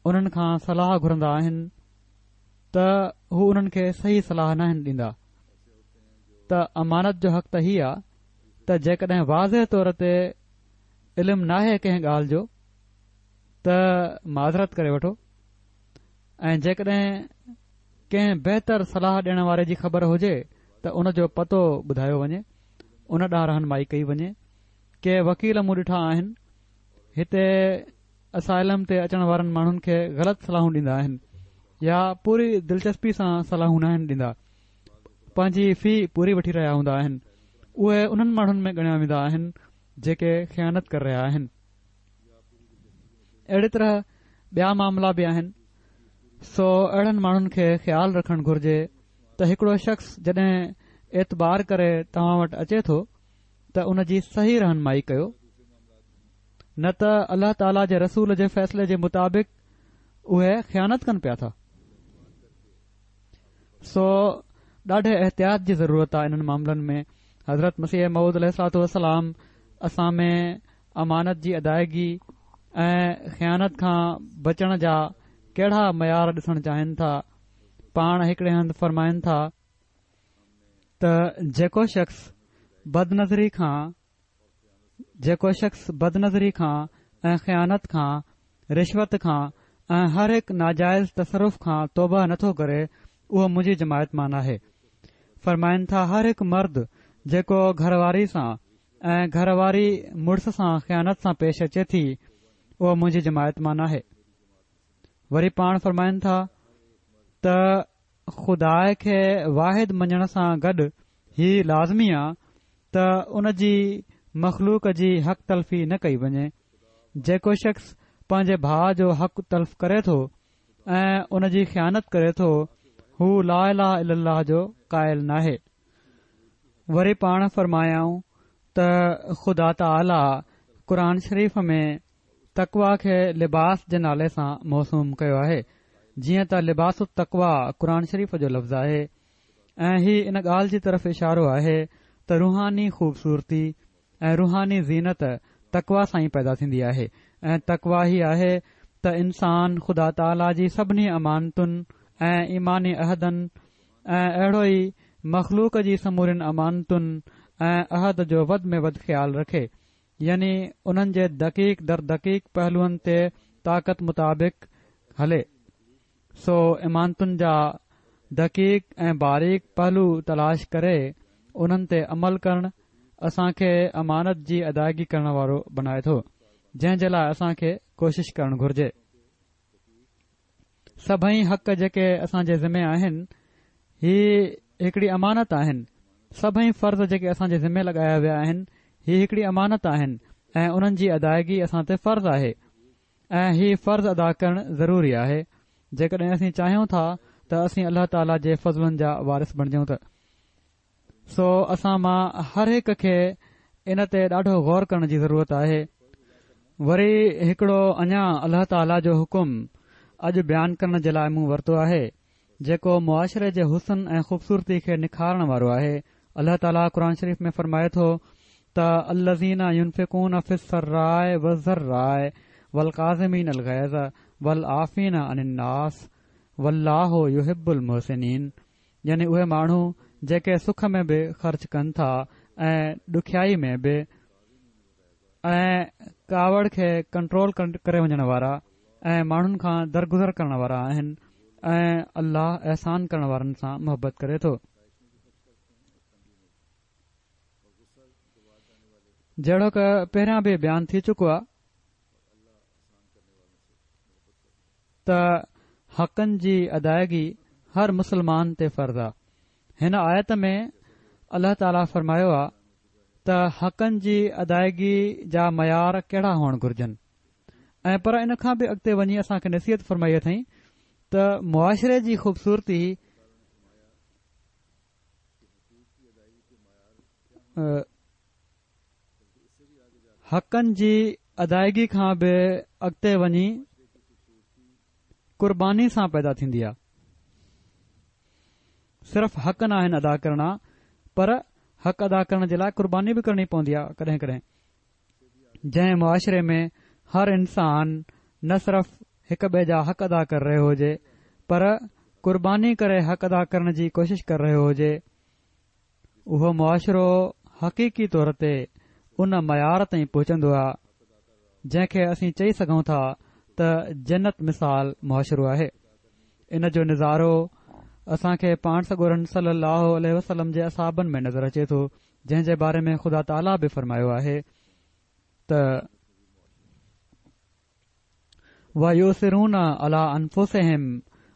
انهن کان صلاح گهرندا آهن ته هو انهن کي صحيح صلاح ناهن ڏيندا. ته امانت جو حق ته هي آ ته جيڪڏهن واضح طور تي علم ناهي ڪنهن ڳالهه جو ته معذرت ڪري وٺو ۽ جيڪڏهن ڪنهن بهتر صلاح ڏيڻ واري جي خبر هجي ته ان جو پتو ٻڌايو وڃي، ان ڏانهن رهنمائي ڪئي وڃي. ڪي وڪيل مون ڏٺا آهن هتي اسائلم تي اچڻ وارن ماڻهن کي غلط صلاحون ڏيندا آهن يا پوري دلچسپي سان صلاحون ناهن ڏيندا، پنهنجي في پوري وٺي رهيا هوندا آهن. اهي انهن ماڻهن ۾ ڳڻيا ويندا آهن جيڪي خيانت ڪري رهيا آهن. اهڙي طرح ٻيا معاملا به آهن. سو اهڙن ماڻهن کي خيال رکڻ گهرجي ته هڪڙو شخص جڏهن اعتبار ڪري توهان وٽ اچي ٿو ته ان جي صحيح رهنمائي ڪيو، نه ته الله تعاليٰ جي رسول جي فيصلي جي مطابق اهي خيانت ڪن پيا ٿا. سو ڏاڍي احتياط جي ضرورت آهي انهن معاملن ۾. حضرت مسيح موعود عليه الصلوة والسلام اسان ۾ امانت جي ادائگي ۽ خيانت کان بچڻ جا ڪهڙا معيار ڏسڻ چاهين ٿا. پاڻ هڪڙي هنڌ فرمائن ٿا ته جيڪو شخص بدنظري کان جيڪو شخص بدنظري کان ۽ خيانت کان، رشوت کان ۽ هر هڪ ناجائز تصرف کان توبه نٿو ڪري اهو منهنجي جماعت مان ناهي. فرمائن ٿا هر هڪ مرد جيڪو گهر واري سان ۽ گهر واري مڙس سان خيانت سان پيش اچي ٿي اهو منهنجي جماعت مان ناهي. وري پاڻ فرمائن ٿا ته خدا کي واحد مڃڻ سان گڏ هي لازمي آ ته ان جي مخلوق جي حق تلفي نه ڪئي وڃي. جيڪو شخص پنهنجي ڀاء جو حق تلف ڪري ٿو ۽ ان جي خيانت ڪري ٿو، هو لا اله الا الله جو قائل ناهي. وري پاڻ فرمايائون ته خدا تعاليٰ قرآن شريف ۾ تقويٰ کي لباس جي نالي سان موسوم ڪيو آهي، جيئن ته لباس التقويٰ قرآن شريف جو لفظ آهي ۽ هي ان ڳالهه جي طرف اشارو آهي ته روحاني خوبصورتي ۽ روحاني زينت تقويٰ سان ئي پيدا ٿيندي آهي ۽ تقويٰ هي آهي ته انسان خدا تعاليٰ جي سڀني امانتن ۽ ايماني عهدن ۽ اهڙو ئي مخلوق جي سمورين امانتن ۽ عهد جو وڌ ۾ وڌ خيال رکي، يعني انهن جي دقيق در دقيق پهلوئن تي طاقت مطابق هلي. سو امانتن جا دقيق ۽ باريڪ پهلو تلاش ڪري انهن تي عمل ڪرڻ اسان کي امانت جي ادائگي ڪرڻ وارو بنائي ٿو، جنهن جي لاء اسان کي ڪوشش ڪرڻ گهرجي. سڀئي حق جيڪي اسان جي ذمي آهن، هي هڪڙي امانت آهن. سڀئي فرض جيڪي اسان جي ذمي لڳايا ويا آهن، هي هڪڙي امانت آهن ۽ انهن جي ادائگي اسان تي فرض آهي ۽ هي فرض ادا ڪرڻ ضروري آهي، جيڪڏهن اسين چاهيون ٿا ته اسين الله تعاليٰ جي فضلن جا وارث بڻجون ته. سو اسان مان هر هڪ کي ان تي ڏاڍو غور ڪرڻ جي ضرورت آهي. وري هڪڙو اڃا الله تعاليٰ جو حڪم اڄ بيان ڪرڻ جي لاء مون ورتو آهي، جيڪو معاشري جي حسن ۽ خوبصورتي کي نکارڻ وارو آهي. الله تعاليٰ قرآن شريف ۾ فرمائي ٿو ته الذين ينفقون في السراء والضراء والڪاظمين الغيظ والعافين عن الناس والله يحب المحسنين، يعني اهي ماڻهو جيڪي سک ۾ به خرچ ڪن ٿا ۽ ڏکيائي ۾ به ۽ ڪاوڙ کي ڪنٽرول ڪري وڃڻ وارا ۽ ماڻهن کان درگذر ڪرڻ وارا آهن ۽ الله احسان ڪرڻ وارن سان محبت ڪري ٿو. جهڙوڪ پهريان به بيان ٿي چڪو آهي ته حقن جي ادائگي هر مسلمان تي فرض آهي. هن آيت ۾ الله تعاليٰ فرمايو آهي ته حقن جي ادائگي جا معيار ڪهڙا هئڻ گهرجن ۽ پر ان کان به اڳتي وڃي اسان کي نصيحت فرمائي اٿئين ته معاشري جي خوبصورتي حقن جي ادائگي کان به اڳتي وڃي قرباني سان پيدا ٿيندي آهي. صرف حق ناهن ادا ڪرڻا پر حق ادا ڪرڻ جي لاء قرباني به ڪرڻي پوندي آهي ڪڏهن ڪڏهن. جنهن معاشري ۾ هر انسان نه صرف هڪ ٻئي جا حق ادا ڪري رهيو هجي پر قرباني ڪري حق ادا ڪرڻ جي ڪوشش ڪري رهيو هجي، اهو معاشرو حقيقي طور تي ان معيار تائين پهچندو آهي جنهن کي اسين چئي سگهون ٿا ته جنت مثال معاشرو آهي. ان جو نظارو اسان کي پاڻ سڳورن صلي الله عليه وسلم جي اصحابن ۾ نظر اچي ٿو، جنهن جي باري ۾ خدا تعاليٰ به فرمايو آهي ته ويؤثرون علي انفسهم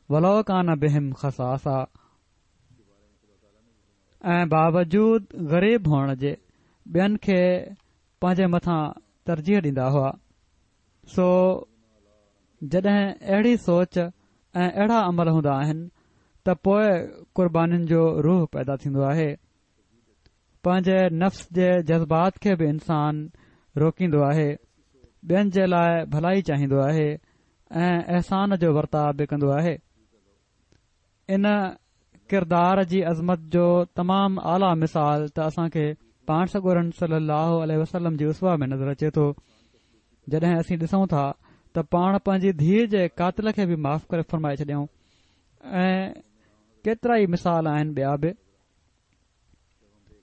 ولو ڪان بهم خصاصه، ۽ باوجود غريب هئڻ جي ٻين کي پنهنجي مٿان ترجيح ڏيندا هئا. سو جڏهن اهڙي سوچ ۽ اهڙا عمل هوندا آهن ته پوء قربانين جو روح پيدا ٿيندو آهي. پنهنجي نفس جي جذبات کي به انسان روڪيندو آهي، ٻين جي لاء ڀلائي چاهيندو آهي ۽ احسان جو ورتاء به ڪندو آهي. ان ڪردار جي عظمت جو تمام اعليٰ مثال ته اسان کي پاڻ سڳورن صلي الله عليه وسلم جي اسوه ۾ نظر اچي ٿو. جڏهن اسين ڏسون ٿا ته پاڻ پنهنجي ڌيء جي قاتل کي به معاف ڪري فرمائي ڇڏيائون ۽ ڪيترا ئي مثال آهن ٻيا به.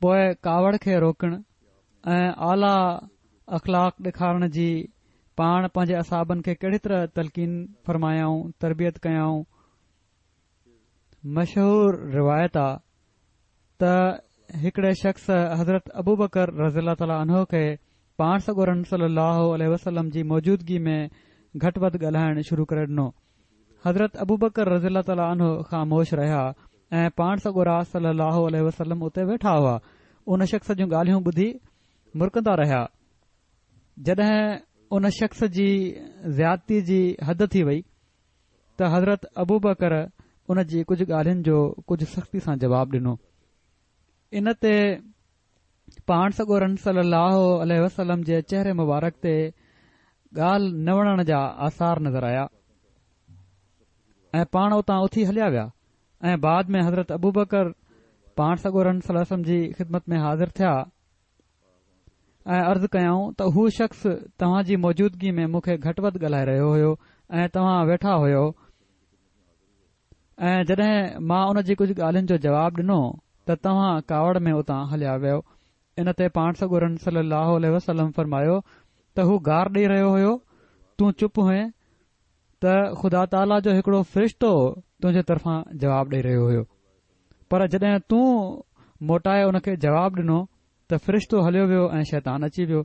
پوء ڪاوڙ کي روڪڻ ۽ اعليٰ اخلاق ڏيکارڻ جي پاڻ پنهنجي اصحابن کي ڪهڙي طرح تلقين فرمايائون، تربيت ڪيائون. مشهور روايت آ ته هڪڙي شخص حضرت ابوبڪر رضي الله تعالٰي عنه کي پاڻ سڳورن صلي الله عليه وسلم جي موجودگي ۾ گهٽ وڌ ڳالهائڻ شروع ڪري ڏنو. حضرت ابوبڪر رضي الله تعالٰي عنه خاموش رهيا ۽ پاڻ سڳورا صلي الله عليه وسلم اتي ويٺا هئا. ان شخص جون ڳالهيون ٻڌي مرڪندا رهيا. جڏهن ان شخص جي زيادتي جي حد ٿي وئي ته حضرت ابوبڪر ان جي ڪجهه ڳالهين جو ڪجهه سختي سان جواب ڏنو. ان تي پاڻ سڳورن صلي الله عليه وسلم جي چهري مبارڪ تي ڳالهه نه وڻڻ جا آثار نظر آيا ۽ پاڻ اتان اٿي هليا ويا ۽ بعد ۾ حضرت ابوبڪر پاڻ سڳورن صلي الله عليه وسلم جي خدمت ۾ حاضر ٿيا ۽ عرض ڪيائون ته هو شخص توهان جي موجودگي ۾ مون کي گهٽ وڌ ڳالهائي رهيو هيو ۽ توهان ويٺا هيو ۽ جڏهن مان ان جي ڪجهه ڳالهين جو جواب ڏنو ته توهان ڪاوڙ ۾ اتان هليا ويو. ان تي پاڻ سڳورن صلي الله عليه وسلم فرمايو ته هو گار ڏئي رهيو هيو، تون چپ هئين ته خدا تعاليٰ جو هڪڙو فرشتو تنهنجي طرفان جواب ڏئي رهيو هيو، پر جڏهن تون موٽائي ان کي جواب ڏنو ته فرشتو هليو ويو ۽ شيطان اچي ويو.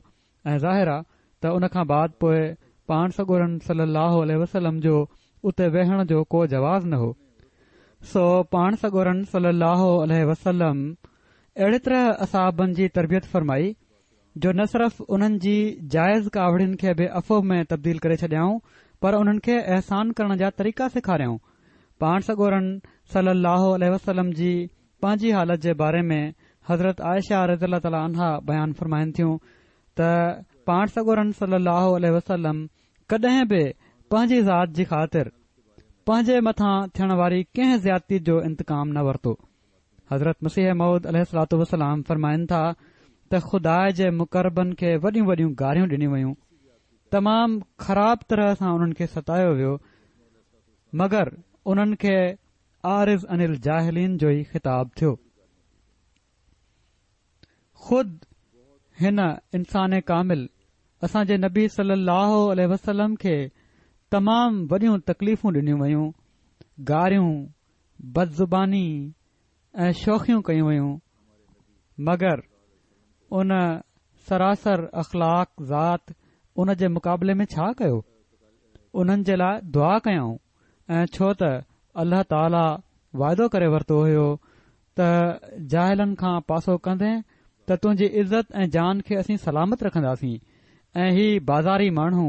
۽ ظاهر آ ته ان کان بعد پوء پاڻ سڳورن صلي الله عليه وسلم جو اتي ويهڻ جو ڪو جواز نه هو. سو پاڻ سڳورن صلي الله عليه وسلم اهڙي طرح اصحابن جي تربيت فرمائي جو نه صرف انهن جي جائز ڪاوڙين کي به عفو ۾ تبديل ڪري ڇڏيائون پر انهن کي احسان ڪرڻ جا طريقا سيکاريائون. پاڻ سڳورن صلي الله عليه وسلم جي پنهنجي حالت جي باري ۾ حضرت عائشه رضي الله تعالٰي عنها بيان فرمائن ٿيون ته پاڻ سڳورن صلي الله عليه وسلم ڪڏهن به پنهنجي ذات جي خاطر پنهنجي مٿان ٿيڻ واري ڪنهن زيادتي جو انتقام نه ورتو. حضرت مسيح موعود عليه الصلوة والسلام فرمائن ٿا ته خدا جي مقربن کي وڏيون وڏيون گاريون ڏنيون ويون، تمام خراب طرح سان انهن کي ستايو ويو، مگر انهن کي اعرض عن الجاهلين جو ئي خطاب ٿيو. خود هن انسان ڪامل اسان جي نبي صلي الله عليه وسلم کي تمام وڏيون تڪليفون ڏنيون ويون، گاريون، بدزباني ۽ شوخيون ڪيون ويون، مگر ان سراسر اخلاق ذات ان جي مقابلي ۾ ڇا ڪيو؟ انهن جي لاء دعا ڪيائون ۽ ڇو ته الله تعاليٰ واعدو ڪري ورتو هيو ته جاهلن کان پاسو ڪندين ته تنهنجي عزت ۽ جان کي اسين سلامت رکنداسين ۽ هي بازاري ماڻهو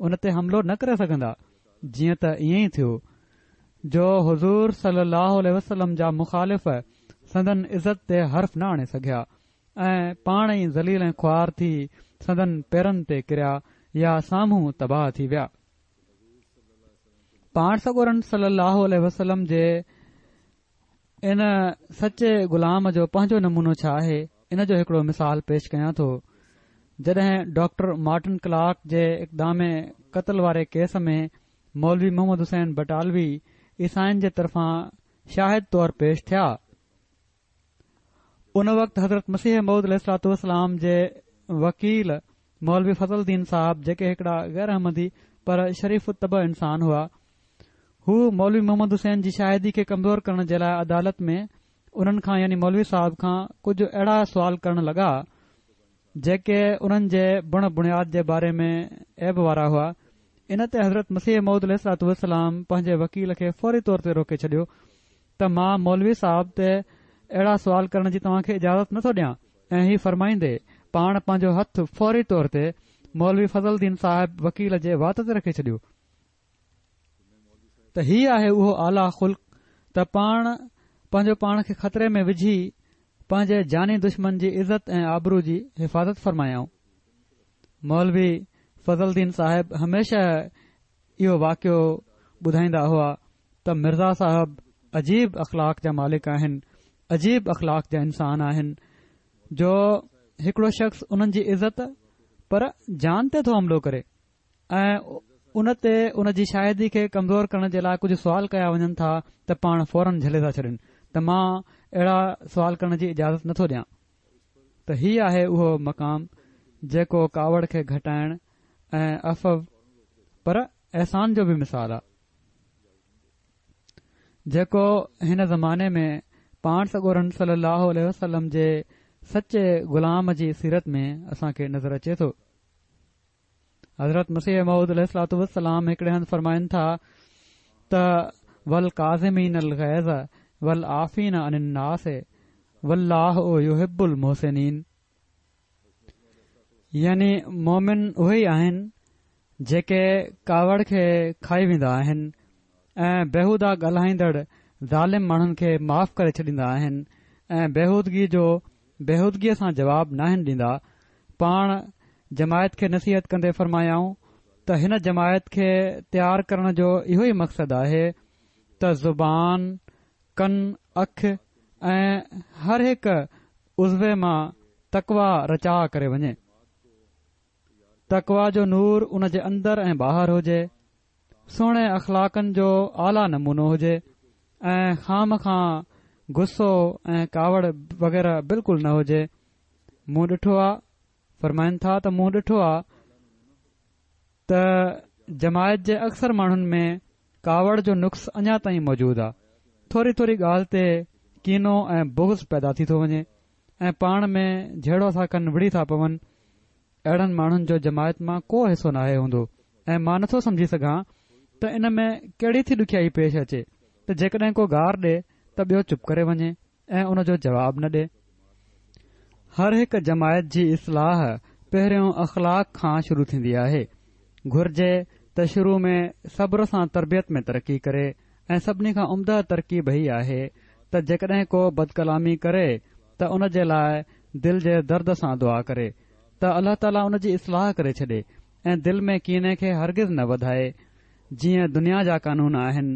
ان تي حملو نه ڪري سگهندا. جيئن ته ائين ئي ٿيو جو حضور صلي الله عليه وسلم جا مخالف سندن عزت تي حرف نه آڻي سگهيا ۽ پاڻ ئي ذليل ۽ خوار ٿي سندن پيرن تي ڪريا يا سامهون تباهه ٿي ويا. پاڻ سڳورن صلي الله عليه وسلم جي ان سچي غلام جو پنهنجو نمونو ڇا آهي، ان جو هڪڙو مثال پيش ڪيان ٿو. جڏهن ڊاڪٽر مارٽن ڪلارڪ جي اقدام قتل واري ڪيس ۾ مولوي محمد حسين بٽالوي عيسائين جي طرفان شاهد طور پيش ٿيا، ان وقت حضرت مسيح موعود عليه الصلوة والسلام جي وڪيل مولوي فضل دين صاحب، جيڪي هڪڙا غير احمدي پر شريف الطبع انسان هئا، هو مولوي محمد حسين جي شاهدي کي ڪمزور ڪرڻ جي لاء عدالت ۾ انهن کان يعني مولوي صاحب کان ڪجهه اهڙا سوال ڪرڻ لڳا جيڪي انهن جي بڻ بڻياد جي باري ۾ عيب وارا هئا. ان تي حضرت مسيح موعود عليه الصلوة والسلام پنهنجي وڪيل کي فوري طور تي روڪي ڇڏيو ته مان مولوي صاحب تي اهڙا سوال ڪرڻ جي توهان کي اجازت نٿو ڏيان، ۽ هي فرمائيندي پاڻ پنهنجو هٿ فوري طور تي مولوي فضل دين صاحب وڪيل جي وات تي رکي ڇڏيو. ته هي آهي اهو اعليٰ خلق ته پاڻ پنهنجو پاڻ کي خطري ۾ وجهي پنهنجي جاني دشمن جي عزت ۽ آبرو جي حفاظت فرمايائون. مولوي فضل دين صاحب هميشه اهو واقعو ٻڌائيندا هئا ته مرزا صاحب عجيب اخلاق جا مالڪ آهن، عجيب اخلاق جا انسان آهن، جو هڪڙو شخص انهن جي عزت پر جان تي ٿو حملو ڪري ۽ ان تي ان جي شاهدي کي ڪمزور ڪرڻ جي لاء ڪجهه سوال ڪيا وڃن ٿا ته پاڻ فوراً جهلي ٿا ڇڏين ته مان اهڙا سوال ڪرڻ جي اجازت نٿو ڏيان. ته هي آهي اهو مقام جيڪو ڪاوڙ کي گهٽائڻ ۽ عفو پر احسان جو به مثال آ، جيڪو هن زماني ۾ پاڻ سڳورن صلي الله عليه وسلم جي سچي غلام جي سيرت ۾ اسان کي نظر اچي ٿو. حضرت مسيح موعود عليه الصلوة والسلام هڪڙي هنڌ فرمائن ٿا ته والڪاظمين الغيظ والعافين عن الناس والله يحب المحسنين، يعني مومن اهي ئي آهن جيڪي ڪاوڙ کي کائي ويندا آهن ۽ بيهوده ڳالهائيندڙ ظالم ماڻهن کي معاف ڪري ڇڏيندا آهن ۽ بيهودگي جو بيهودگيء سان جواب ناهن ڏيندا. پاڻ جماعت کي نصيحت ڪندي فرمايائون ته هن جماعت کي تيار ڪرڻ جو اهو ئي مقصد آهي ته زبان، ڪن، اک ۽ هر هڪ عضوي مان تقويٰ رچاء ڪري وڃي. تقويٰ جو نور ان جي اندر ۽ ٻاهر هجي، سهڻي اخلاقن جو اعليٰ نمونو هجي ۽ خوامخواه غصو ۽ ڪاوڙ وغيره بلڪل نه هجي. مون ڏٺو آ، فرمائن ٿا ته مون ڏٺو آ ته جماعت جي اڪثر ماڻهن ۾ ڪاوڙ جو نقص اڃا تائين موجود آ. ٿوري ٿوري ڳالهه تي ڪينو ۽ بغض پيدا ٿي ٿو وڃي ۽ پاڻ ۾ جهيڙو ٿا ڪن، وڙهي ٿا پون. اهڙن ماڻهن جو جماعت مان ڪو حصو ناهي هوندو ۽ مان نٿو سمجهي سگهان ته ان ۾ ڪهڙي ٿي ڏکيائي پيش اچي ته جيڪڏهن ڪو گار ڏي ته ٻيو چپ ڪري وڃي ۽ ان جو جواب نه ڏي. هر هڪ جماعت جي اصلاح پهريون اخلاق کان شروع ٿيندي آهي. گهرجي ته شروع ۾ صبر سان تربيت ۾ ترقي ڪري ۽ سڀني کان عمده ترڪيب هي آهي ته جيڪڏهن ڪو بدڪلامي ڪري ته ان جي لاء دل جي درد سان دعا ڪري ته الله تعاليٰ ان جي اصلاح ڪري ڇڏي ۽ دل ۾ ڪيني کي هرگز نه وڌائي. جيئن دنيا جا قانون آهن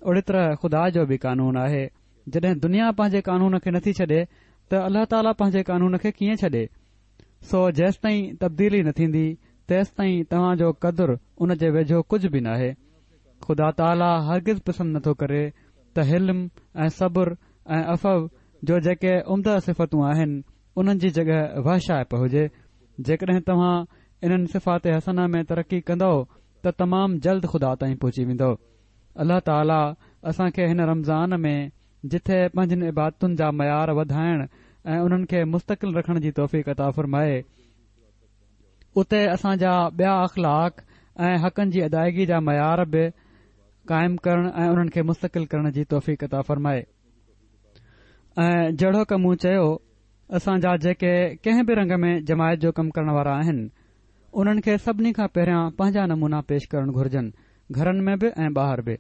اهڙي طرح خدا جو به قانون آهي. جڏهن دنيا پنهنجي قانون کي نٿي ڇڏي ته الله تعاليٰ پنهنجي قانون کي ڪيئن ڇڏي؟ سو جيستائين تبديلي نه ٿيندي تيستائين توهان جو قدر ان جي ويجهو ڪجهه به ناهي. خدا تعاليٰ هرگز پسند نٿو ڪري ته حلم ۽ صبر ۽ عفو جو جيڪي عمده صفتون آهن انهن جي جڳهه وحشائپ هجي. جيڪڏهن توهان انهن صفات حسنه ۾ ترقي ڪندؤ ته تمام جلد خدا تائين پهچي ويندؤ. الله تعاليٰ اسان کي هن رمضان ۾ جٿي پنهنجين عبادتن جا معيار وڌائڻ ۽ انهن کي مستقل رکڻ جي توفيق عطا فرمائي، اتي اسان جا ٻيا اخلاق ۽ حقن جي ادائگي جا معيار به قائم ڪرڻ ۽ انهن کي مستقل ڪرڻ جي توفيق عطا فرمائي. ۽ جهڙوڪ مون چيو، اسان جا جيڪي ڪنهن به رنگ ۾ جماعت جو ڪم ڪرڻ وارا آهن انهن کي سڀني کان پهريان پنهنجا نمونا پيش ڪرڻ گهرجن، گهرن ۾ به ۽ ٻاهر به.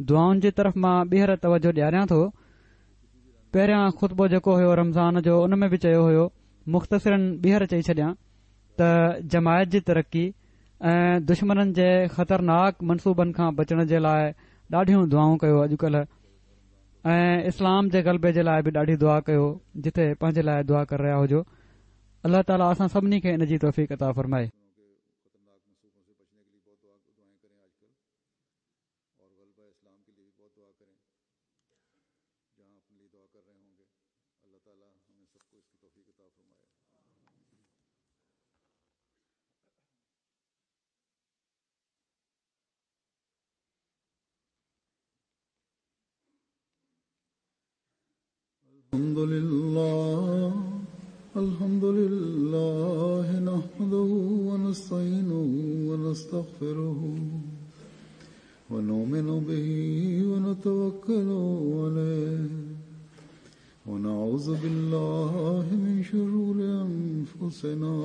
دعائن جي طرف مان ٻيهر توجه ڏياريان ٿو. پهريان خطبو جيڪو هيو رمضان جو ان ۾ به چيو هيو، مختصراً ٻيهر چئي ڇڏيان ته جماعت جي ترقي ۽ دشمنن جي خطرناڪ منصوبن کان بچڻ جي لاء ڏاڍيون دعائون ڪيو اڄڪلهه، ۽ اسلام جي غلبي جي لاء به ڏاڍي دعا ڪيو جتي پنهنجي لاء دعا ڪري رهيا هجو. الله تعاليٰ اسان سڀني کي ان جي توفيق عطا فرمائي. الحمد لله الحمد لله نحمده ونستعينه ونستغفره ونؤمن به ونتوكل عليه ونعوذ بالله من شرور أنفسنا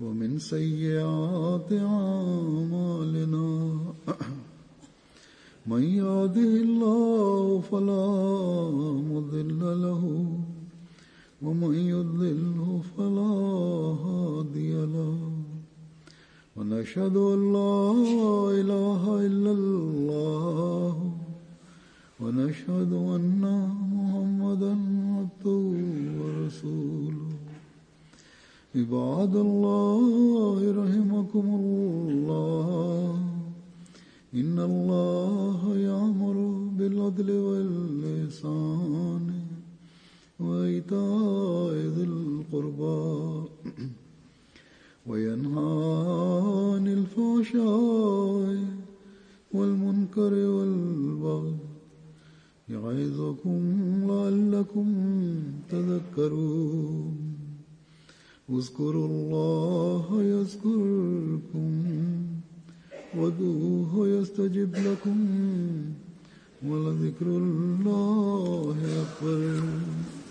ومن سيئات أعمالنا من يهده الله فلا مضل له ومن يضلله فلا هادي له ونشهد أن لا إله إلا الله ونشهد أن محمدا عبده ورسوله. عباد الله رحمكم الله، إن الله يأمر بالعدل والإحسان وإيتاء ذي القربى وينهى عن الفحشاء والمنكر والبغي يعظكم لعلكم تذكرون. اذكروا الله يذكركم وادعوه يستجب لكم ولذكر الله أكبر.